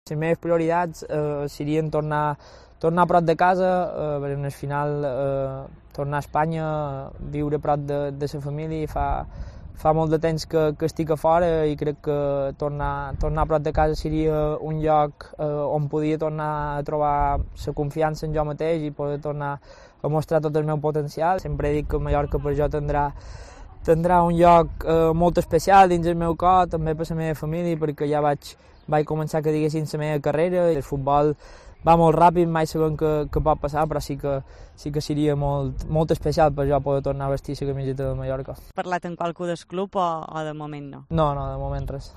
Les meves prioritats serien tornar a prop de casa, perquè al final tornar a Espanya, viure a prop de la família. Fa molt de temps que estic a fora i crec que tornar a prop de casa seria un lloc on podia tornar a trobar la confiança en jo mateix i poder tornar a mostrar tot el meu potencial. Sempre he dit que Mallorca per jo tindrà un lloc molt especial dins el meu cor, també per la meva família, perquè ja vaig començar, que diguessin, la meva carrera. El futbol va molt ràpid, mai sabem què pot passar, però sí que seria molt especial per jo poder tornar a vestir la camiseta de Mallorca. Has parlat amb qualcú del club o de moment no? No, de moment res.